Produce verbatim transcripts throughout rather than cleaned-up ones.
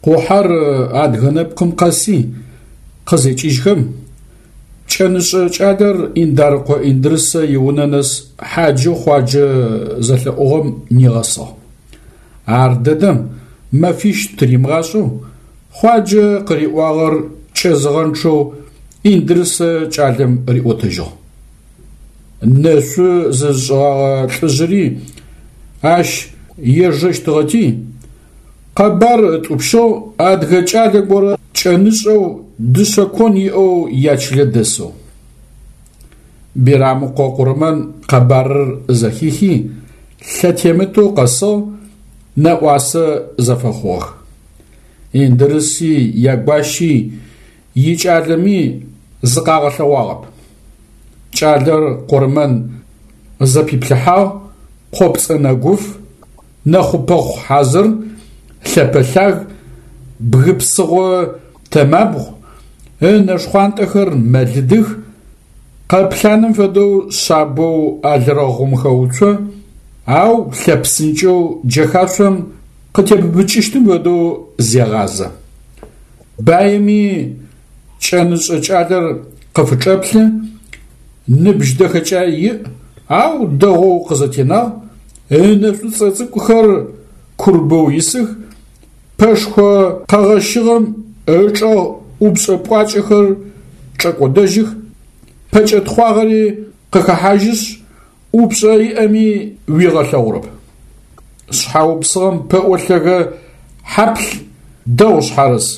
Къухьэр адыгэ нэпкъым къэси, къызекӏыжьхэм, кӏэнышӏэ кӏалэр Индарыкъо Индрысэ иунэ нэс хьаджэу Хъуаджэ зэлъэӏугъэм нигъэсыгъ. Ар дэдэм мэфищ тыримыгъашӏэу Хъуаджэ къыриӏуагъэр кӏэзыгъэнчъэу Индрысэ кӏалэм риӏотэжьыгъ. Нэшъу зызышӏыгъэгъэ лӏыжъыри ащ ежэщтыгъэти, къэбар ытӏупщыгъ адыгэ кӏалэ горэ кӏэнышӏэу дышъэ кон иӏэу ячылэ дэсэу. Бирамыкъо Къурмэн къэбарыр зэхихи, лъэтемытэу къэсыгъ, нэӏуасэ зэфэхъугъэх. Индрыси, ягуащи, икӏалэми зыкъагъэлъэгъуагъэп. Кӏалэр Къурмэн зэпиплъыхьагъ, къопцӏэ нэгуф, нэхъу-пэхъу хьазыр, лъэпэлъаг, бгы псыгъо тэмабгъу, ынэ шхъуантӏэхэр мэлыдых, къэплъаным фэдэу шъабэу алрэгъум хэуцо, ау лъэпсынкӏэу джэхашъом къытебыбыкӏыщтым фэдэу зегъазэ. Баими кӏэнышӏэ кӏалэр къыфычӏэплъы, ныбжь дэхэкӏай иӏ, ау дэгъоу къызэтенагъ, ынэ шӏуцӏэ цӏыкӏухэр курбэу исых, пэшхо къэгъэщыгъэм ычӏэгъ ӏупшӏэ пӏуакӏэхэр чӏэкӏодэжьых, пэкӏэ тхъуагъэри къыхэхьажьышъ, ӏупшӏэ иӏэми уигъэлъэгъурэп. Шъхьэ упсыгъэм пэӏо лъэгэ хьаплъ дэгъу шъхьарыс.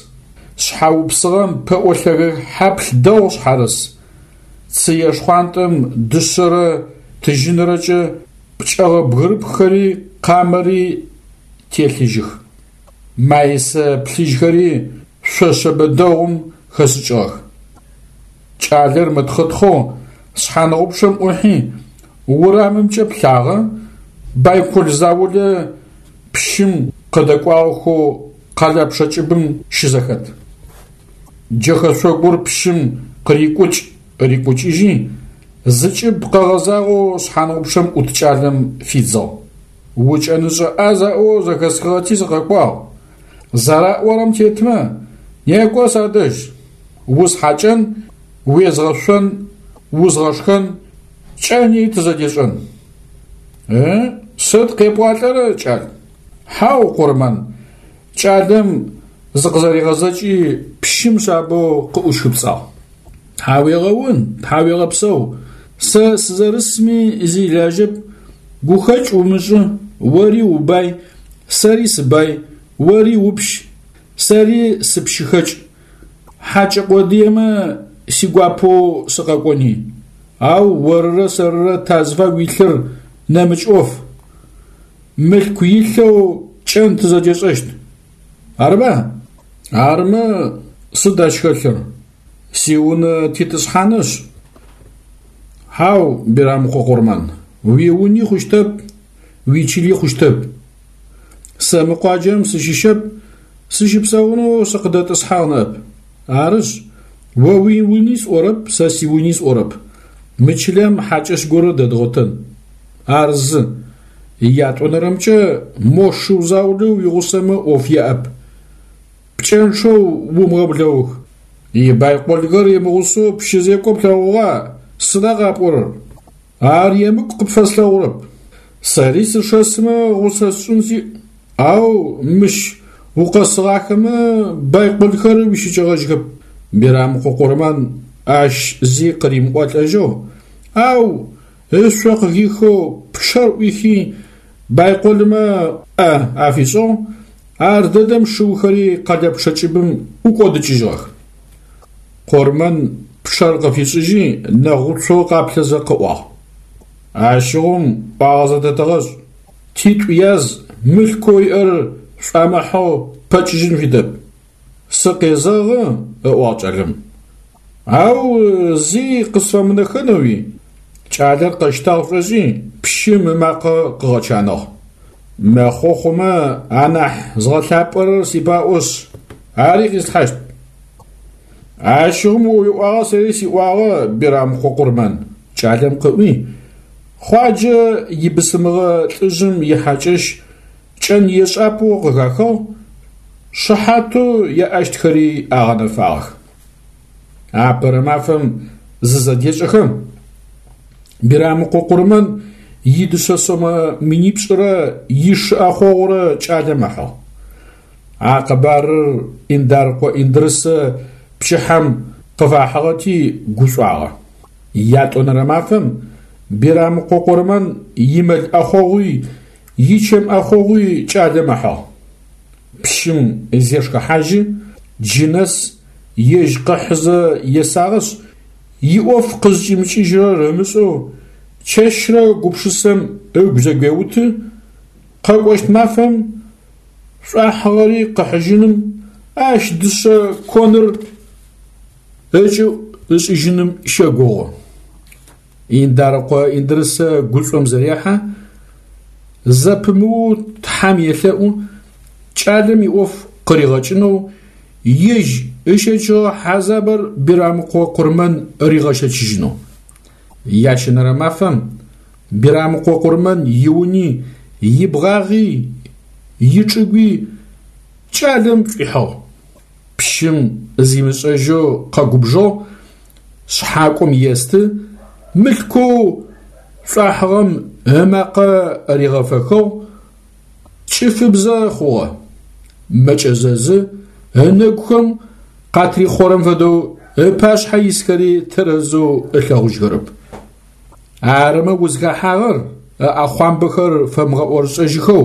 Шъхьэ упсыгъэм пэӏо лъэгэ хьаплъ дэгъу шъхьарыс. Цые шхъуантӏэм дышъэрэ тыжьынрэкӏэ пкӏэгъэ бгырыпххэри къамэри телъыжьых. Маисэ плъыжьхэри шъо шъэбэ дэгъум хэшӏыкӏыгъэх. Кӏалэр мытхъытхъэу шъхьаныгъупчъэм ӏухьи, урамымкӏэ плъагъэ, байкол заулэ пщым къыдэкӏуагъэхэу къэлэпчъэ кӏыбым щызэхэт. Джэхэшъогур пщым къырикӏукӏ-рикӏукӏыжьи, зыкӏыб къэгъэзагъэу шъхьаныгъупчъэм ӏут кӏалэм фидзыгъ: «Укӏэнышӏэ ӏаз аӏоу зэхэсхыгъэти сыкъэкӏуагъ. Зэраӏорэм тетмэ, некӏо садэжь, усхьакӏэн, уезгъэшъон, узгъэшхэн, кӏэни тызэдешӏэн». «Ы, сыд къепӏуалӏэрэр, кӏал?» «Хьау, Къурмэн», кӏалэм зыкъызэригъэзэкӏи пщым шъабэу къыӏущхыпцӏагъ. «Тхьауегъэун, тхьауегъэпсэу, сэ сызэрысми зи илажьэп, гухэкӏ умышӏы, ори убай, сэри сыбай, ори упщ, сэри сыпщыхэкӏ, хьакӏэ къодыемэ сигуапэу сыкъэкӏони, ау орырэ сэрырэ тазыфагу илъыр нэмыкӏ ӏоф, мылъку илъэу кӏэн тызэдешӏэщт, арыба? Армэ сыд ащ хэлъыр, сиунэ титӏысхьанышъ». «Хьау, Бирамыкъо Къурмэн, уиуни хъущтэп, уичыли хъущтэп. Сэ мы къуаджэм сыщыщэп, сыщыпсэунэу сыкъыдэтӏысхьагъ ныӏэп. Арышъ, о уиуни сӏорэп, сэ сиуни сӏорэп, мы чылэм хьакӏэщ горэ дэдгъотэн. Ар зы. Ятӏонэрэмкӏэ мо шыу заулэу уигъусэмэ ӏоф яӏэп. Пкӏэнчъэу умыгъэблэух. Ибайколхэр имыгъусэу пщы зекӏо плъэгъугъа, сыда къапӏорэр? Ар емыкӏу къыпфэслъэгъурэп. Сэри сышэсмэ гъусэ сшӏын сиӏ, ау мыщ укъэсыгъахэмэ байколхэр уищыкӏэгъэжьхэп». Бирамыкъо Къурмэн ащ зи къыримыӏолӏэжьыгъ, ау ышъо къыхихэу пчъэр ӏуихи байколмэ ӏэ афишӏыгъ, ар дэдэм шыухэри къэлэпчъэ кӏыбым ӏукӏодыкӏыжьыгъэх. Къурмэн пчъэр къыфишӏыжьи нэгъуцоу къаплъэзэ къыӏуагъ: «Ащыгъум ӏуагъэ зэдэтэгъэшӏ, титӏу яз мылъкоу иӏэр шӏуамыхьэу пэкӏыжьын фитэп». «Сыкъезэгъы», – ыӏуагъ кӏалэм. «Ау зи къысфэмынэхэнэуи?» Кӏалэр къэщтагъ шӏошӏи пщым ымакъэ къыгъэчаныгъ: «Мэхъо хъумэ анахь згъэлъапӏэрэр сипаӏошъ, ари къислъхьащт». «Ащыгъум о уиӏуагъэ сэри сиӏуагъэ, Бирамыкъо Къурмэн», – кӏалэм къыӏуи, Хъуаджэ ибысымыгъэ лӏыжъым ихьакӏэщ кӏэн ешӏапӏэу къыхахыгъ, Шыхьатэу яӏэщтхэри агъэнэфагъэх. Апэрэ мафэм зызэдешӏэхэм, Бирамыкъо Къурмэн идышъэ сомэ минипшӏырэ ишы ӏэхъогъурэ кӏалэм ыхьыгъ. А къэбарыр Индарыкъо Индрысэ пчыхьэм къыфахьыгъэти гушӏуагъэ. Ятӏонэрэ мафэм Бирамыкъо Къурмэн имэл ӏэхъогъуи ичэм ӏэхъогъуи кӏалэм ыхьыгъ. Пщым зешхыхьажьы, джы нэс ежь къыхьызэ есагъэшъ, иӏоф къызкӏимыкӏыжьырэр ымышӏэу чэщрэ гупшысэм ыгу зэгуеуты, къэкӏощт мафэм шӏуахьыгъэри къыхьыжьыным, ащ дышъэ коныр ыкӏыӏу ышӏыжьыным щэгугъы. Индарыкъо Индрысэ гушӏом зэрехьэ, зэпымыоу Тхьэм елъэӏу, кӏалэм иӏоф къыригъэкӏынэу, ежь ыщэчыгъэ хьазабыр Бирамыкъо Къурмэн ригъэщэчыжьынэу. Ящэнэрэ мафэм Бирамыкъо Къурмэн иуни, ибгъагъи, ичӏыгуи кӏалэм шӏуихьыгъ. Пщым зимышӏэжьэу къэгубжыгъ, шъхьакӏом есты, мылъкоу шӏуахьыгъэм ымакъэ ригъэфэхыгъ, кӏыфыбзэ хъугъэ. Мэкӏэзэзы, ынэгухэм къатрихъорэм фэдэу ыпашъхьэ исхэри тэрэзэу ылъэгъужьхэрэп. Арымэ узхэхьагъэр ыӏэхъуамбэхэр фэмыгъэӏорышӏэжьыхэу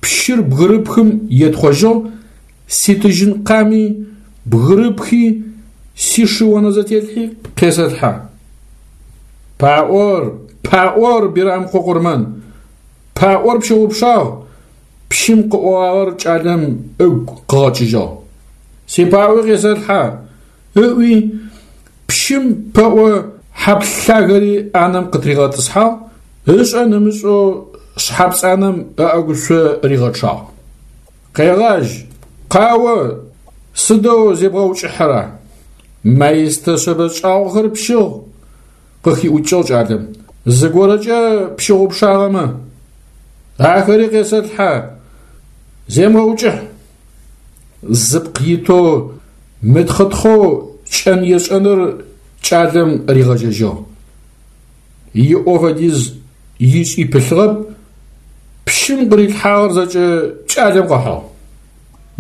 пщыр бгырыпхым етхъожьыгъ, ситыжьын къами, бгырыпхи, сишы онэзэтелъхьи къесэлъхьэ. Паӏор, паӏор, Бирамыкъо Къурмэн, паӏор пщыгъупшагъ, пщым къыӏогъагъэр кӏалэм ыгу къыгъэкӏыжьыгъ. Сипаӏуи къесэлъхьэ, ыӏуи пщым пэӏо хьаплъ лъагэри ӏанэм къытыригъэтӏысхьагъ, ышӏэн ымышӏэу шъхьэпцӏанэм ыӏэгушъо ригъэчъагъ. Къегъажь, къао, сыдэу зебгъэукӏыхьэра? Маистэ шъэбэ шӏагъохэр пщыгъ, къыхиӏукӏыгъ кӏалэм. Зыгорэкӏэ пщыгъупшагъэмэ, ахэри къесэлъхьэ, земыгъэукӏыхь. Зыпкъ итэу мытхъытхъэу кӏэн ешӏэныр кӏалэм ригъэжьэжьыгъ. Иӏо фэдиз ишӏи пылъыгъэп, пщым къырилъхьагъэр зэкӏэ кӏалэм къыхьыгъ.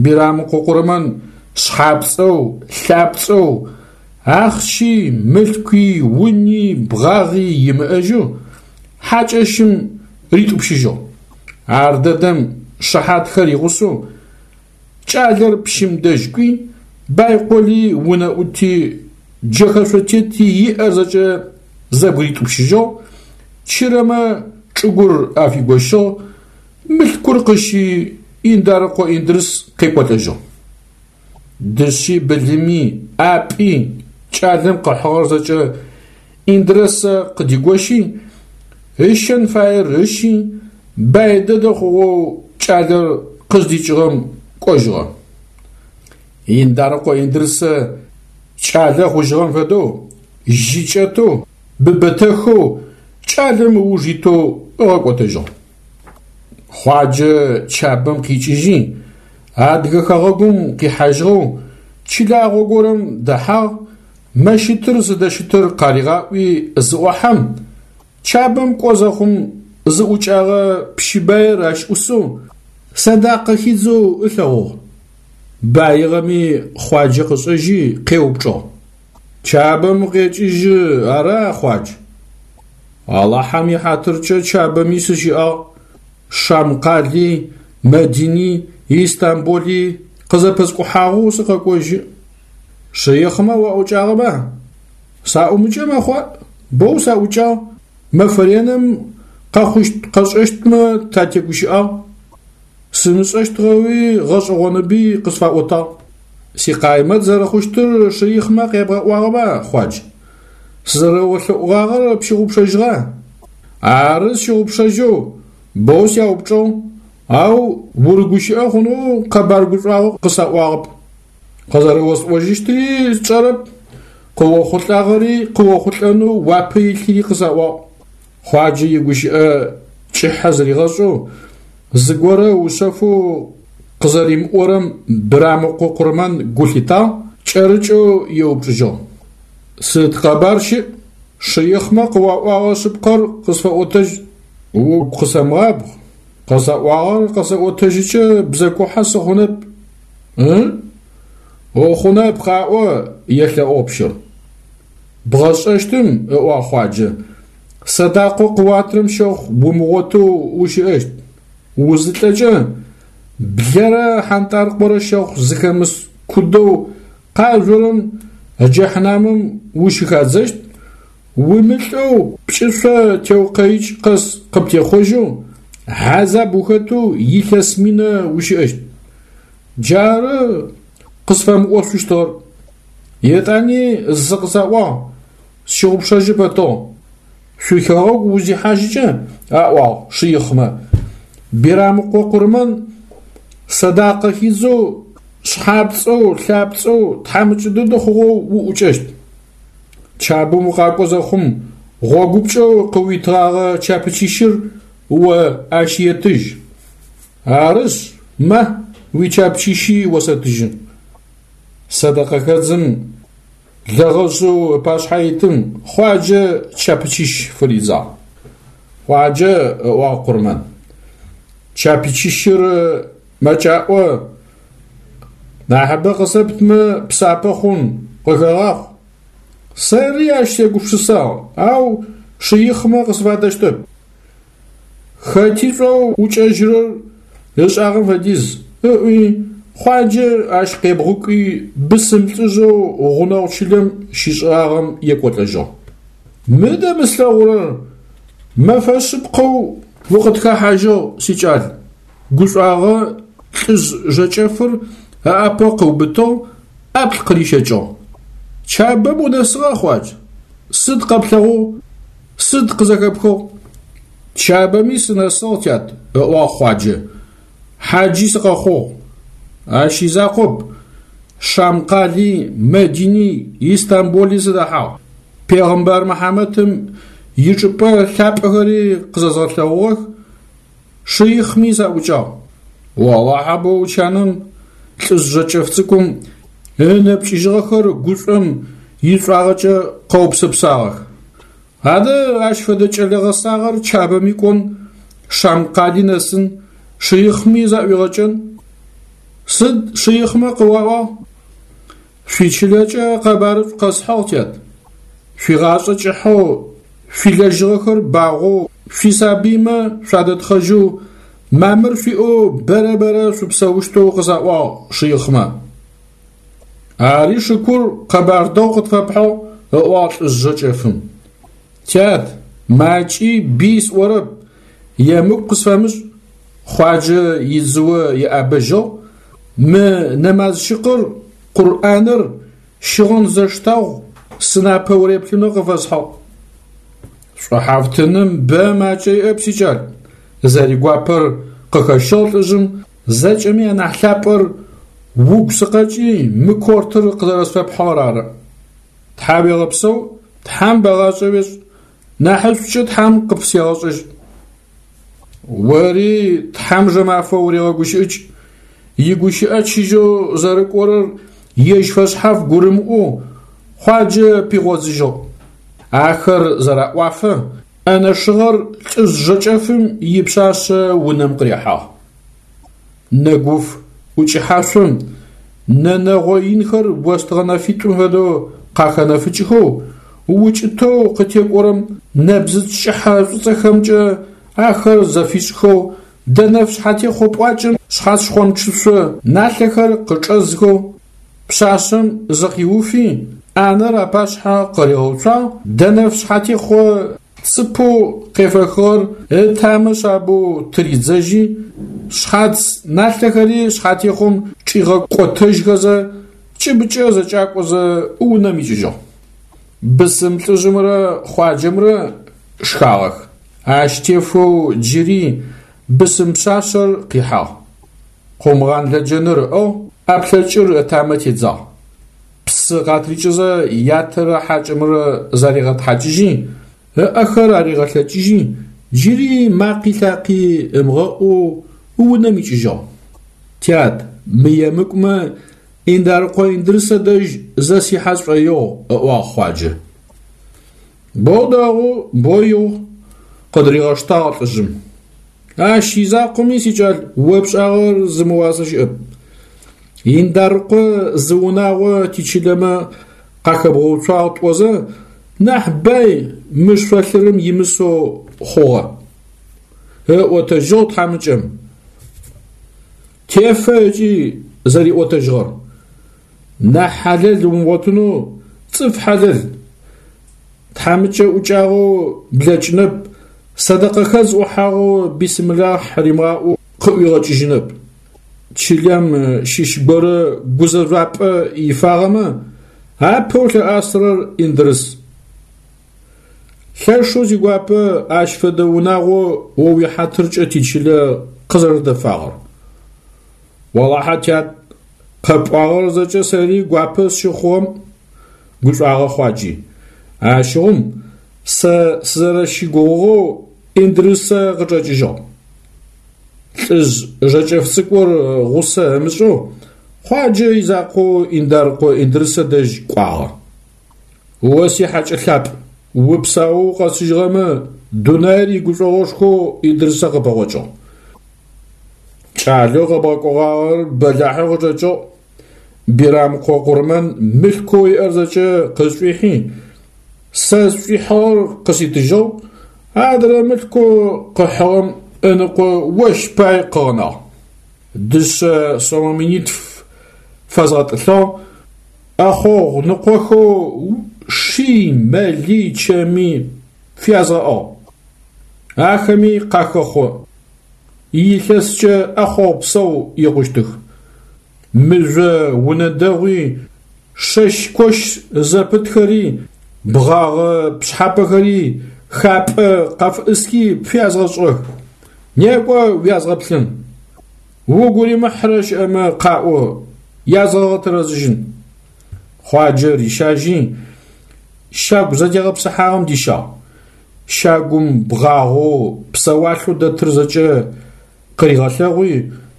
Бирамыкъо Къурмэн шъхьапцӏэу, лъапцӏэу, ахъщи, мылъкуи, уни, бгъагъи имыӏэжьэу хьакӏэщым ритӏупщыжьыгъ. Ар дэдэм шыхьатхэр игъусэу кӏалэр пщым дэжь кӏуи, байколи, унэӏути, джэхэшъотети иӏэр зэкӏэ зэбгыритӏупщыжьыгъ, чырэмэ чӏыгур афигощыгъ, мылъкур къыщи Индарыкъо Индрыс къекӏолӏэжьыгъ. Дышъи, былыми, ӏапӏи кӏалэм къыхьыгъэр зэкӏэ Индрысэ къыдигощи, ыщэн фаер ыщи, бай дэдэ хъугъэу кӏалэр къыздикӏыгъэм кӏожьыгъэ. Индарыкъо Индрысэ кӏалэ хъужьыгъэм фэдэу, жьы кӏэтэу, быбэтэхэу кӏалэм ыуж итэу ыгъэкӏотэжьыгъ. Хъуаджэ Чабэм къикӏыжьи, адыгэ хэгъэгум къихьажьыгъэу чылагъо горэм дэхьагъ, мэщытыр зыдэщытыр къаригъаӏуи зыӏохьэм, Чабэм кӏо зэхъум зыӏукӏагъэ пщы баир ащ ӏусэу, сэдакъэ хидзэу ылъэгъугъ. Баигъэми Хъуаджэ къышӏэжьи къеупчӏыгъ: Чабэм укъекӏыжьы ара, Хъуадж? Алахьэм ихьатыркӏэ Чабэми сыщыӏагъ, Шам къали, Мэдини, Истамбули къызэпэскӏухьагъэу сыкъэкӏожьы. Шыихъмэ уаӏукӏагъэба? Саӏумыкӏэ мэхъуа, боу саӏукӏагъ, мэфэ реным къэхъущт-къэшӏэщтмэ татегущыӏагъ. Сымышӏэщтыгъэуи гъэшӏэгъоныби къысфаӏотагъ. Сикъаймэт зэрэхъущтыр шыихъмэ къябгъэӏуагъэба, Хъуадж? Сызэрэолъэӏугъагъэр пщыгъупшэжьыгъа? Ары сщыгъупшэжьэу, боу сяупчӏыгъ, ау урыгущыӏэ хъунэу къэбар гушӏуагъо къысаӏуагъэп. Къызэрэосӏожьыщтыри сшӏэрэп, къыохъулӏагъэри къыохъулӏэнэу уапэ илъыри къысаӏуагъ. Хъуаджэ игущыӏэ кӏыхьэ зыригъэшӏэу, зыгорэ ыушъэфэу Къызэримыӏорэм Бирамыкъо Къурмэн гу лъитагъ, кӏэрыкӏэу еупчӏыжьыгъ: Сыд къэбар щыӏ? Шыихъмэ къыуаӏогъэ шъыпкъэр къысфэӏотэжь. Угу къысэмыгъабгъ, къысаӏуагъэр къэсэӏотэжьыкӏэ бзэкухьэ сыхъунэп. Ы? Ухъунэп, къаӏо, елъэӏугъ пщыр. Бгъэшӏэщтым, ыӏуагъ Хъуаджэ, сэдакъэу къыуатырэм щэхъу умыгъотэу ущыӏэщт. Узылӏэкӏэ блэрэ хьантӏаркъорэ щэхъу зыхэмыс кудэу къажъорэм джэхьнамым ущыхадзэщт, умылӏэу пкӏышъо теукъэикӏ къэс къыптехъожьэу, хьазаб ухэтэу илъэс минэ ущыӏэщт. Джары къысфэмыӏошъущтыгъэр. Етӏани зы къысаӏуагъ, сщыгъупшэжьы пэтыгъ. Шъуихэгъэгу узихьажьыкӏэ, аӏуагъ шыихъмэ, Бирамыкъо Къурмэн сэдакъэ хидзэу, шъхьапцӏэу, лъапцӏэу, тхьамыкӏэ дэдэ хъугъэу уӏукӏэщт. Чабэм укъакӏо зэхъум гъогупкӏэу къыуитыгъэгъэ чапычищыр о ащ етыжь. Арышъ, ма, уичапычищи осэтыжьы. Сэдэкъэхэдзым лэгъэжъэу ыпашъхьэ итым Хъуаджэ чапычищ фыридзагъ. Хъуаджэ, ыӏуагъ Къурмэн, чапычищыр мэкӏаӏо, нахьыбэ къысэптмэ псапэ хъун, къыхэгъахъу. Сэри ащ сегупшысагъ, ау шыихъмэ къысфадэщтэп. Хэти шӏоу ӏукӏэжьырэр ышӏагъэм фэдиз, ыӏуи Хъуаджэ ащ къебгъукӏуи бысым лӏыжъэу гъунэгъу чылэм щишӏыгъагъэм екӏолӏэжьыгъ. Мыдэ мы слъэгъурэр, мэфэ шъыпкъэу укъытхэхьажьыгъ, сикӏал. Гушӏуагъэ лӏыжъ жэкӏэфыр ыӏапэ къыубытыгъ, ӏаплӏ къырищэкӏыгъ. Чабэм унэсыгъа, Хъуадж? Сыд къэплъэгъугъ? Сыд къызэхэпхыгъ? Чабэми сынэсыгъ, тят, ыӏуагъ Хъуаджэ. Хьаджи сыкъэхъугъ. Ащ изакъоп, Шам къали, Мэдини, Истамбули сыдэхьагъ. Пегъымбар Мыхьамэтым ичӏыпӏэ лъапӏэхэри къызэзгъэлъэгъугъэх, шыихъми саӏукӏагъ. Олахьэ боу чаным лӏыжъ жэкӏэф цӏыкӏум ынэ пкӏыжьыгъэхэр гушӏом ишӏуагъэкӏэ къэупсэпсагъэх. Адэ ащ фэдэ кӏэлэ гъэсагъэр Чабэми кӏон, Шам къали нэсын, шыихъми заӏуигъэкӏэн. Сыд шыихъмэ къыуаӏуагъ? Шъуичылэкӏэ къэбарышӏу къэсхьыгъ, тят. Шъуигъашӏэ кӏыхьэу, шъуилэжьыгъэхэр багъоу, шъуисабыймэ шъуадэтхъэжьэу, мамыр шъуиӏэу бэрэ-бэрэ шъупсэущтэу къысаӏуагъ шыихъмэ. Ари шыкур, къэбар дэгъу къытфэпхьыгъ, ыӏуагъ лӏыжъ жэкӏэфым. Тят, макӏи би сӏорэп, емыкӏу къысфэмышӏ. Хъуаджэ идзыо еӏэбэжьыгъ, мы нэмазщыкъыр, Къурӏаныр, щыгъын зэштагъу сынапэ уреплъынэу къыфэсхьыгъ. Шӏухьафтыным бэ макӏэ иӏэп, сикӏал. Зэригуапэр къыхэщыгъ лӏыжъым, зэкӏэми анахь лъапӏэр угу сыкъэкӏи мы кортыр къызэрэсфэпхьыгъэр ары. Тхьауегъэпсэу, Тхьам бэгъашӏэ уешӏ, нахьышӏукӏэ Тхьам къыпфысегъэшӏэжь. Ори Тхьам жэмафэ урегъэгущыӏыкӏ, игущыӏэ чыжьэу зэрыкӏорэр ежь фэшъхьаф гурымыӏоу Хъуаджэ пигъодзыжьыгъ. Ахэр зэраӏуафэ ӏэнэ шыгъэр лӏыжъ жэкӏэфым ипшъашъэ унэм къырихьагъ. Нэгуф ӏукӏыхьашъом нэ нэгъо инхэр остыгъэ нэфитӏум фэдэу къахэнэфыкӏхэу, укӏытэу къытекӏорэм нэбзыц кӏыхьэ шӏуцӏэхэмкӏэ ахэр зэфишӏхэу, дэнэф шъхьатехъо пӏуакӏэм шъхьац шхъомчышъо налъэхэр къычӏэзхэу, пшъашъэм зыкъиуфи, ӏанэр апашъхьэ къыригъэуцуагъ, дэнэф шъхьатехъо цыпэу къефэхыгъэр ытамэ шъабэу тыридзэжьи, шъхьац налъэхэри шъхьатехъом чӏигъэкӏотэжьхэзэ, кӏыбыкӏэ зэкӏакӏозэ унэм икӏыжьыгъ. Бысым лӏыжъымрэ Хъуаджэмрэ шхагъэх. Ащ тефэу джыри бысым пшъашъэр къихьагъ. Къумгъан лэджэныр ыӏыгъ, ӏэплъэкӏыр ытамэ тедзагъ. Псы къатрикӏызэ ятэрэ хьакӏэмрэ заригъэтхьакӏыжьи, ыӏэхэр аригъэлъэкӏыжьи, джыри макъи лъакъи ымыгъэӏоу унэм икӏыжьыгъ. Тят, мы емыкӏумэ Индарыкъо Индрысэ дэжь зэ сихьэ сшӏоигъу, – ыӏуагъ Хъуаджэ. Бо дэгъу, бо игъу, – къыдыригъэштагъ лӏыжъым. Ащ изакъоми, сикӏал, о пшӏагъэр зымыуасэ щыӏэп. Индарыкъо зы унагъо тичылэмэ къахэбгъэуцуагъ тӏозэ, нахь бай мы шъолъырым имысэу хъугъэ. Ыӏотэжьыгъ тхьамыкӏэм. Тефэ ыкӏи зэриӏотэжьыгъэр. Нахь хьалэл умыгъотынэу цӏыф хьалэл. Тхьамыкӏэ ӏукӏагъэу блэкӏынэп, сэдэкъэхэдз ӏухьагъэу бисмилахь римыгъаӏоу къыӏуигъэкӏыжьынэп. Чылэм щыщ горэ гузэжъуапӏэ ифагъэмэ, апэу лъыӏасырэр Индрыс. Лъэшэу сигуапэ ащ фэдэ унагъо о уихьатыркӏэ тичылэ къызэрэдэфагъэр. Олахьэ, тят, къэпӏуагъэр зэкӏэ сэри гуапэ сщыхъугъэм, гушӏуагъэ Хъуаджи. Ащыгъум сэ сызэрэщыгугъыгъэу Индрысэ къычӏэкӏыжьыгъ. Лӏыжъ жэкӏэф цӏыкӏур гъусэ ымышӏэу Хъуаджэ изакъоу Индарыкъо Индрысэ дэжь кӏуагъэ. О сихьакӏэ лъапӏ, упсаоу укъэсыжьыгъэмэ, дунаир игушӏогъошхоу Индрысэ къыпэгъокӏыгъ. Кӏалэу къэбгъэкӏогъагъэр бэлахьэу къычӏэкӏыгъ. Бирамыкъо Къурмэн мылъкоу иӏэр зэкӏэ къысшӏуихьи, сэ сшӏуихьыгъэр къыситыжьыгъ, адрэ мылъкоу къыхьыгъэм ыныкъо ощ пай къыгъэнагъ. Дышъэ сомэ минитф фэзгъэтӏылъыгъ, ӏэхъогъу ныкъохэу ши, мэли, чэми фязгъэӏыгъ. Ахэми къахэхъо. Илъэскӏэ ӏэхъогъу псэу икъущтых. Мыжъо унэ дэгъуи, шэщ-кощ зэпытхэри, бгъагъэ пшъхьапэхэри, хапӏэ къафыӏысхи пфязгъэшӏыгъэх. Некӏо уязгъэплъын. Угу римыхьрэ щыӏэмэ къаӏо, язгъэгъэтэрэзыжьын. Хъуаджэ рищажьи, щагу зэтегъэпсыхьагъэм дищагъ. Щагум бгъагъэу, псэуалъэу дэтыр зэкӏэ къыригъэлъэгъуи,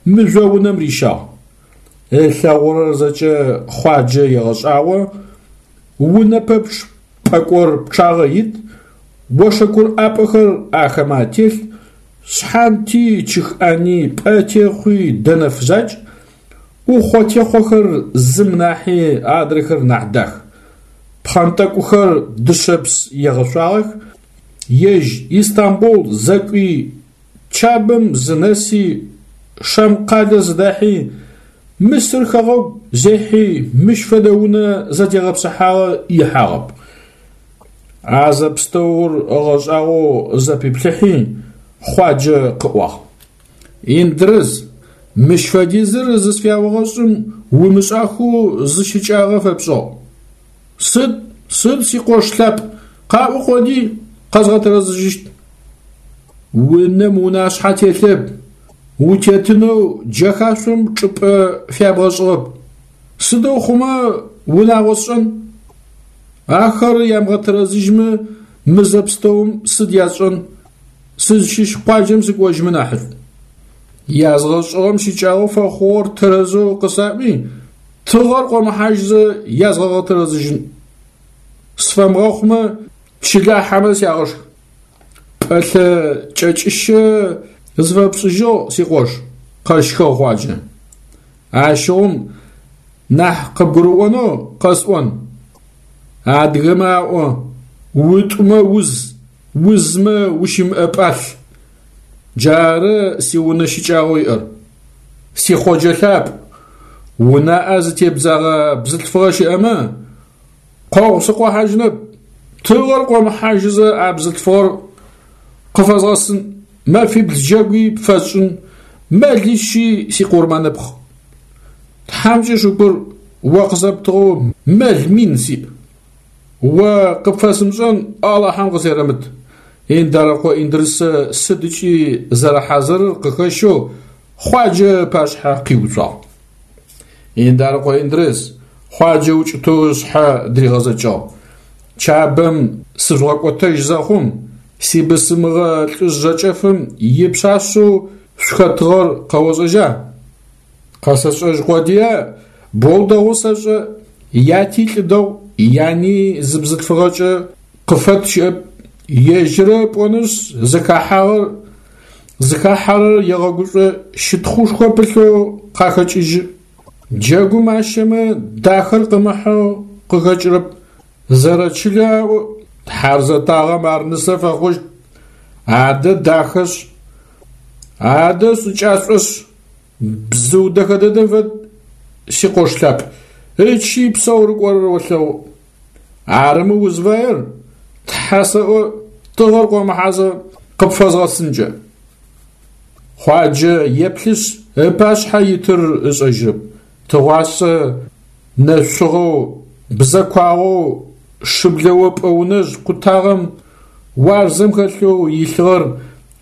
мыжъо унэм рищагъ. Ылъэгъурэр зэкӏэ Хъуаджэ егъэшӏагъо, унэ пэпчъ пӏэкӏор пчъагъэ ит, ошэкур ӏапӏэхэр ахэмэ ателъ, шъхьанти, чыхӏани, пӏэтехъуи дэнэф закӏ, ӏухъо-техъохэр зым нахьи адрэхэр нахь дах. Пхъэнтӏэкӏухэр дышъэпс егъэшъуагъэх, ежь Истамбул зэкӏуи, Чабэм зынэси, Шам къалэ зыдахьи, Мысыр хэгъэгу зехьи мыщ фэдэ унэ зэтегъэпсыхьагъэ ихьагъэп. А зэпстэур ыгъэшӏагъоу зэпиплъыхьи, Хъуаджэ къыӏуагъ: Индрыс, мыщ фэдизыр зысфяогъэшӏым умышӏахэу зы щыкӏагъэ фэпшӏыгъ. Сыд, сыд сикъош лъапӏ, къаӏо къоди, къэзгъэтэрэзыжьыщт. Унэм унашъхьэ телъэп, утетынэу джэхашъом чӏыпӏэ фябгъэшӏыгъэп. Сыдэу хъумэ унагъо сшӏэн? Ахэр ямыгъэтэрэзыжьмэ, мы зэпстэум сыд ясшӏэн? Сызщыщ къуаджэм сыкӏожьымэ нахьышӏу. Язгъэшӏыгъэм щыкӏагъэу фэхъугъэр тэрэзэу къысаӏуи, тыгъэр къомыхьажьызэ язгъэгъэтэрэзыжьын. Сфэмыгъэхъумэ, чылахьэмэ сягъэшх. Пӏэлъэ кӏэкӏыщэ зыфэпшӏыжьыгъ, сикъош, къэщхыгъ Хъуаджэ. Ащыгъум нахь къыбгурыӏонэу къэсӏон. Адыгэмэ аӏо: утӏумэ уз, узмэ ущымыӏэ пӏалъ. Джары сиунэ щыкӏагъэу иӏэр. Сихъоджэ лъапӏ, унаӏэ зытебдзэгъэ бзылъфыгъэ щыӏэмэ, къогъу сыкъохьажьынэп, тыгъэр къомыхьажьызэ а бзылъфыгъэр къыфэзгъэсын, мэфибл джэгуи пфэсшӏын, мэлищи сикъурмэныпхъ. Тхьамкӏэ шыкур, о къысэптыгъэу мэл мин сиӏ. О къыпфэсымышӏэн Алахьэм къысерэмыт. Индарыкъо Индрысэ сыд ыкӏи зэрэхьазырыр къыхэщэу Хъуаджэ ыпашъхьэ къиуцуагъ. Индарыкъо Индрыс Хъуаджэ укӏытэу ышъхьэ дыригъэзэкӏыгъ. Чабэм сыжъугъэкӏотэжь зэхъум, сибысымыгъэ лӏыжъ жэкӏэфым ипшъашъэу шъухэтыгъэр къэошӏэжьа? Къэсэшӏэжь къодыя, боу дэгъоу сэшӏэ, яти лӏы дэгъу, яни зы бзылъфыгъэкӏэ къыфэт щыӏэп, ежьыры пӏонышъ зыхахьагъэр зыхахьэрэр егъэгушӏо, щытхъушхо пылъэу къахэкӏыжьы. Джэгум ащэмэ дахэр къымыхьэу къыхэкӏырэп. Зэрэчылэ аӏо, тхьар зэтагъэм ар нысэ фэхъущт. Адэ дахэшъ, адэ шӏыкӏашӏошъ, бзыу дэхэ дэдэм фэд, сикъош лъапӏ, ычи псэу рыкӏорэр олъэгъу. Арымэ узфаер, тхьэ сэӏо, тыгъэр къомыхьазэ къыпфэзгъэсынкӏэ. Хъуаджэ еплъышъ ыпашъхьэ итыр ышӏэжьырэп. Тыгъуасэ нэшъугъэу, бзэкуагъэу, шыблэопӏэ унэжъ къутагъэм уарзэм хэлъэу илъыгъэр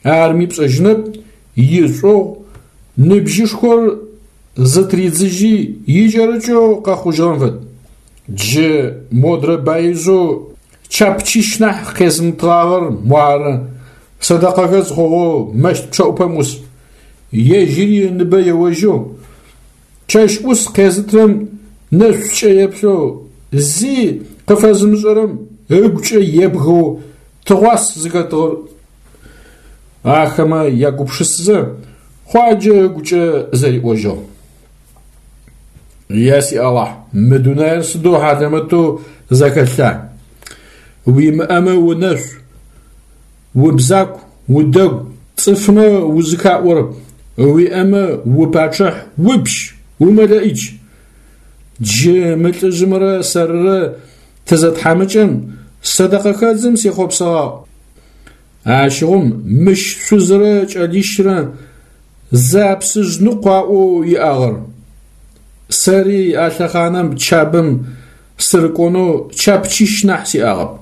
арми пшӏэжьынэп, ишӏугъу, ныбжьышхор зытыридзыжьи икӏэрыкӏэу къэхъужьыгъэм фэд. Джы модрэ баижъэу чапчищ нахь къезымытыгъагъэр муары, сэдэкъэхэдз хъугъэу мэщт пчъэӏупэм ӏус. Ежьыри ыныбэ еожьэу, чэщ ӏус къезытырэм нэшӏукӏэ еплъэу, зи къыфэзымышӏэрэм ыгукӏэ ебгэу тыгъуас зыхэтыгъэр. Ахэмэ ягупшысэзэ Хъуаджэ ыгукӏэ зэриӏожьыгъ. Я си Алахь, мы дунаир сыдэу хьалэмэтэу зэхэлъа? Уимыӏэмэ унэшъу, убзаку, удэгу, цӏыфмэ узыхаӏорэп, уиӏэмэ упачъыхь, упщ, умэлэӏич. Джы мы лӏыжъымрэ сэрырэ тызэтхьамыкӏэм сэдэкъэхэдзым сехъопсэгъагъ. Ащыгъум мыщ шъузырэ кӏэлищрэ зы апсыжъ ныкъу аӏоу иӏагъэр. Сэри а лъэхъаным Чабэм сырыкӏонэу чапчищ нахь сиӏагъэп.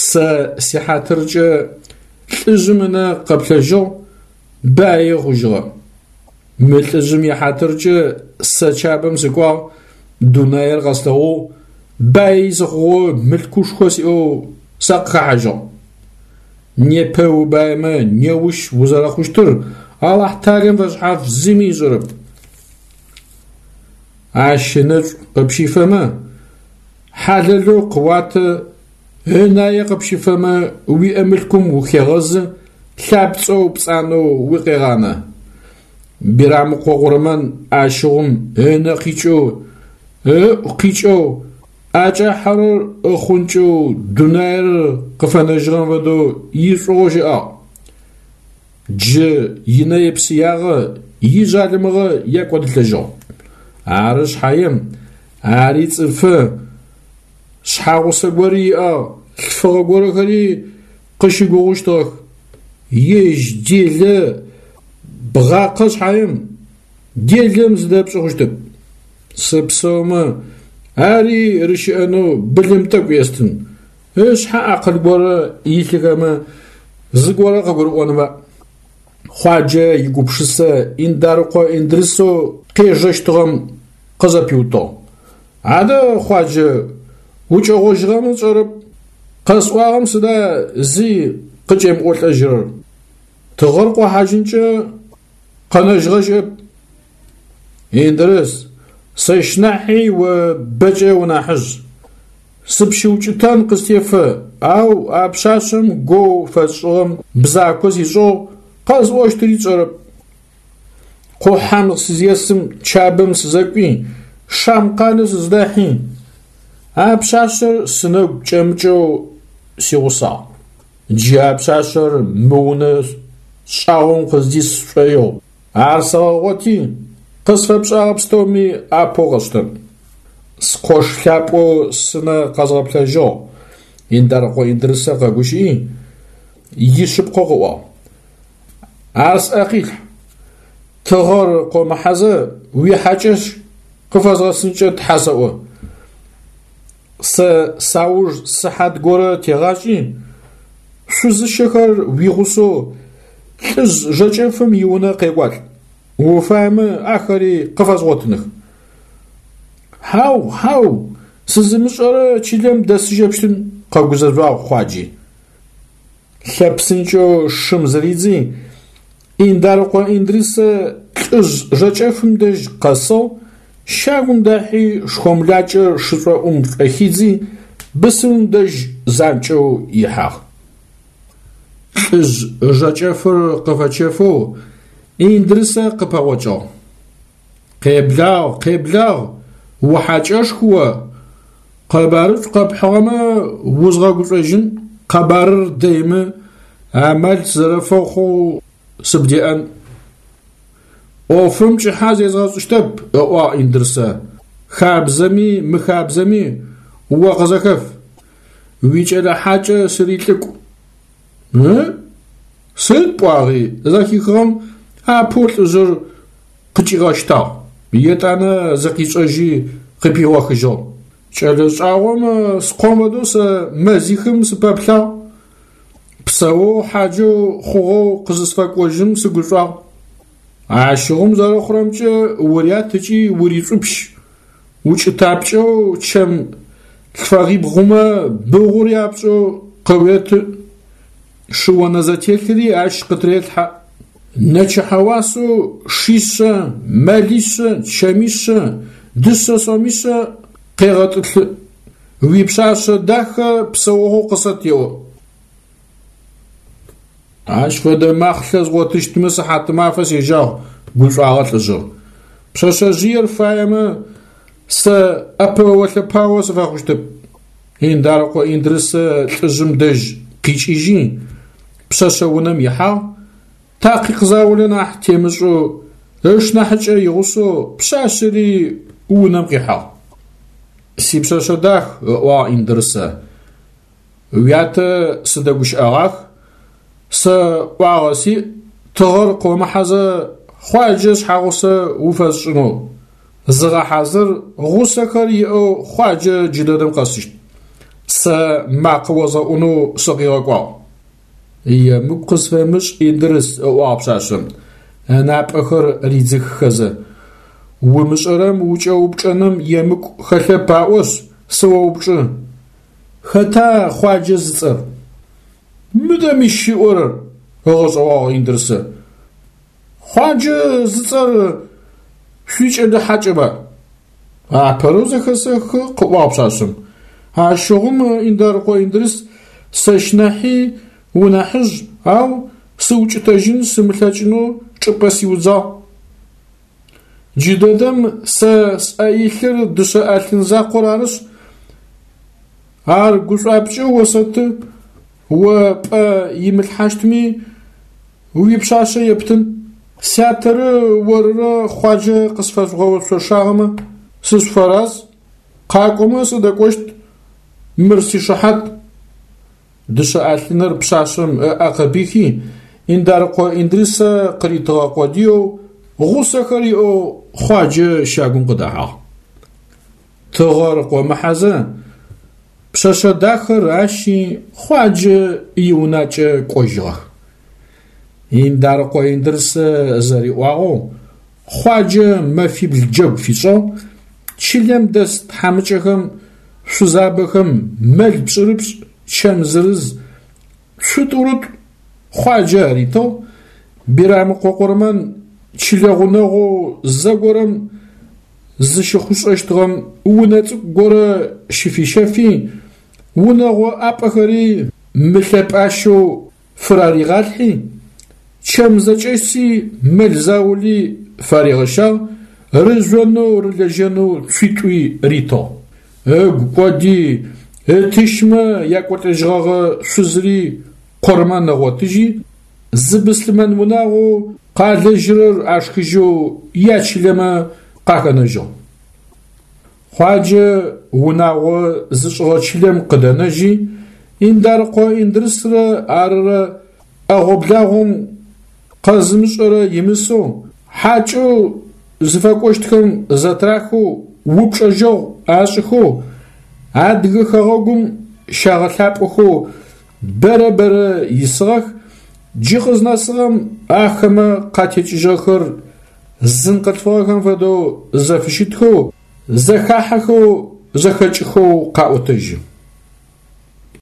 Сэ сихьатыркӏэ лӏыжъым ынэ къэплъэжьыгъ, баи хъужьыгъэ. Мы лӏыжъым ихьатыркӏэ сэ Чабэм сыкӏуагъ, дунаир къэслъэгъугъ, баи сыхъугъэу мылъкушхо сиӏэу сакъыхэхьажьыгъ. Непэ убаимэ неущ узэрэхъущтыр Алахь талэм фэшъхьаф зыми ышӏэрэп. Ащ ынэшӏу къыпщифэмэ, хьалэлэу къыуаты, ынае къыпщифэмэ уиӏэ мылъкум ухегъэзы, лъапцӏэу пцӏанэу укъегъанэ. Бирамыкъо Къурмэн ащыгъум ынэ къикӏэу, ыӏу къикӏэу, ӏэкӏахьэрэр ыхъункӏэу дунаир къыфэнэжьыгъэм фэдэу ишӏугъоу щыӏагъ. Джы инэе-псыягъэ, ижъалымыгъэ екӏодылӏэжьыгъ. Ары шъхьаем, ари цӏыфы, шъхьагъусэ гори иӏагъ, лъфыгъэ горэхэри къыщыгугъыщтыгъэх. Ежь делэ бгъакъэ шъхьаем, делэм зыдэпшӏы хъущтэп. Сыпсэумэ, ари рыщыӏэнэу былым тӏэкӏу естын, ышъхьэ акъыл горэ илъыхэмэ зыгорэ къыгурыӏонба. Хъуаджэ игупшысэ Индарыкъо Индрысэу къежэщтыгъэм къызэпиутыгъ. Адэ, Хъуаджэ, укӏэгъожьыгъэмэ сшӏэрэп, къэсӏуагъэм сыда зи къыкӏемыӏолӏэжьырэр? Тыгъэр къохьажьынкӏэ къэнэжьыгъэ щыӏэп. Индрыс, сэщ нахьи о бэкӏэ унахьыжъ. Сыпщыукӏытэн къыстефэ, ау а пшъашъэм гоу фэсшӏыгъэм бзако сишӏыгъ, къэсӏощтыри сшӏэрэп. Къухьэм сызесым Чабэм сызэкӏуи, Шам къалэ сыздахьи, а пшъашъэр сынэгу кӏэмыкӏэу сигъусагъ. Джы а пшъашъэр мы унэ шӏагъом къыздис сшӏоигъу. Ар сэгъэгъоти, къысфэпшӏагъэ пстэуми апэу къэсштэн. Скъош лъапӏэу сынэ къэзгъэплъэжьыгъ, Индарыкъо Индрысэ къэгущыӏи, ишъыпкъэу къыӏуагъ. Ар сӏэ къилъхь. Тыгъэр къомыхьэзэ уихьакӏэщ къыфэзгъэсынкӏэ тхьэ сэӏо. Сэ сауж сыхьат горэ тегъашӏи, шъузыщэхэр уигъусэу лӏыжъ жэкӏэфым иунэ къекӏуалӏ. Уфаемэ ахэри къыфэзгъотыных. Хьау, хьау, сызымышӏэрэ чылэм дэсыжьэпщтын, къэгузэжъуагъ Хъуаджи. Лъэпсынкӏэу шым зыридзи, Индарыкъо Индрысэ Лӏыжъ жэкӏэфым дэжь къэсыгъ, щагум дахьи шхомлакӏэр шышӏоӏум шӏохидзи, бысымым дэжь занкӏэу ихьагъ. Лӏыжъ жэкӏэфыр къыфэчэфэу Индрысэ къыпэгъокӏыгъ. Къеблагъ, къеблагъ, ухьакӏэшху о! Къэбарышӏу къэпхьыгъэмэ узгъэгушӏожьын, къэбарыр дэймэ, амал сызэрэфэхъоу сыбдеӏэн. Ӏофым кӏыхьэ зезгъэшӏыщтэп, ыӏуагъ Индрысэ, хабзэми мыхабзэми о къызэхэф. Уикӏэлэ хьакӏэ сырилӏыкӏу. Ы? Сыд пӏуагъи? Зэхихыгъэм апэу лӏыжъыр къыкӏигъэщтагъ, етӏанэ зыкъишӏэжьи къыпигъохыжьыгъ. Кӏэлэ шӏагъом скъом фэдэу сэ мэзихым сыпэплъагъ. Псэоу хьаджэу хъугъэу къызысфэкӏожьым сыгушӏуагъ. Ащыгъум зэрэхъурэмкӏэ урят ыкӏи уришӏупщ. Укӏытапкӏэу чэм лъфэгъибгъумэ быгъур япкӏэу къыуеты. Шыонэзэтелъыри ащ къытырелъхьэ. Нэчыхьэ уасэу шишъэ, мэлишъэ, чэмишъэ, дышъэ сомишъэ къегъэтӏылъы. Уипшъашъэ дахэ псэогъоу къысэт еӏо. Ащ фэдэ махълъэ згъотыщтмэ сыхьатымафэ сежьагъ, гушӏуагъэ лӏыжъыр. Пшъэшъэжъыер фаемэ сэ ӏэпэо-лъэпао сыфэхъущтэп. Индарыкъо Индрысэ лӏыжъым дэжь къикӏыжьи, пшъэшъэ унэм ихьагъ, такъикъ заулэ нахь темышӏэу ышнахьыкӏэ игъусэу пшъашъэри унэм къихьагъ. Сипшъэшъэ дах, ыӏуагъ Индрысэ, уятэ сыдэгущыӏэгъах, сэ ӏуагъэ сиӏ, тыгъэр къомыхьэзэ Хъуаджэ шъхьэгъусэ уфэсшӏынэу. Зыгъэхьазыр, гъусэхэр иӏэу Хъуаджэ джыдэдэм къэсыщт. Сэ макъэ озгъэӏунэу сыкъигъэкӏуагъ. Емыкӏу къысфэмышӏ, Индрыс, ыӏуагъ пшъашъэм, ынапӏэхэр ридзыхыхэзэ. Умышӏэрэм укӏэупчӏэным емыкӏу хэлъэп аӏошъ, сыоупчӏы. Хэта Хъуаджэ зыцӏэр? Мыдэ мыщ ыӏорэр, ыгъэшӏэгъуагъ Индрысэ. Хъуаджэ зыцӏэр шъуикӏэлэ хьакӏэба? Апэрэу зэхэсэхы, къыӏуагъ пшъашъэм. Ащыгъум Индарыкъо Индрыс сэщ нахьи унахьыжъ, ау сыукӏытэжьын сымылъэкӏынэу чӏыпӏэ сиудзагъ. Джыдэдэм сэ сӏэ илъыр дышъэ ӏэлъын закъор арышъ, ар гушӏуапкӏэу осэты, о пӏэ имылъхьащтми уипшъашъэ ептын. Сятэрэ орырэ Хъуаджэ къысфэжъугъэшъошагъэмэ, сышъуфэраз, къакӏомэ сыдэкӏощт, мыр сишыхьат. Дышъэ ӏэлъыныр пшъашъэм ыӏэ къыпихи, Индарыкъо Индрысэ къыритыгъэ къодыеу, гъусэхэр иӏэу Хъуаджэ щагум къыдэхьагъ. Тыгъэр къомыхьэзэ пшъэшъэ дахэр ащи Хъуаджэ иунакӏэ кӏожьыгъэх. Индарыкъо Индрысэ зэриӏуагъэу Хъуаджэ мэфибл джэгу фишӏыгъ, чылэм дэс тхьамыкӏэхэм, шъузабэхэм мэл пшӏырыпшӏ, чэм зырыз, цу тӏурытӏу Хъуаджэ аритыгъ. Бирамыкъо Къурмэн чылэ гъунэгъоу зэгорэм зыщыхъушӏэщтыгъэм унэ цӏыкӏу горэ щыфищэфи, унэгъо ӏапӏэхэри мылъэпӏащэу фыраригъалъхьи, чэм зэкӏэси мэл заули фаригъэщагъ, рыжъонэу рылэжьэнэу цуитӏуи ритыгъ. Ыгу кӏоди ытыщмэ якӏолӏэжьыгъэгъэ шъузри Къурмэн ыгъотыжьи, зы быслъымэн унагъоу къалэжьырэр ашхыжьэу ячылэмэ къахэнэжьыгъ. Хъуаджэ унагъо зышӏыгъэ чылэм къыдэнэжьи, Индарыкъо Индрысрэ арырэ ӏэгъо-благъом къэзымышӏэрэ имысэу, хьакӏэу зыфэкӏощтхэм зэтырахэу упчӏэжьэгъу ашӏыхэу, Адыгэ хэгъэгум щагъэлъапӏэхэу бэрэ-бэрэ исыгъэх, джы къызнэсыгъэм ахэмэ къатекӏыжьыгъэхэр зын къылъфыгъэхэм фэдэу зэфыщытхэу, зэхахьэхэу, зэхэкӏыхэу къаӏотэжьы.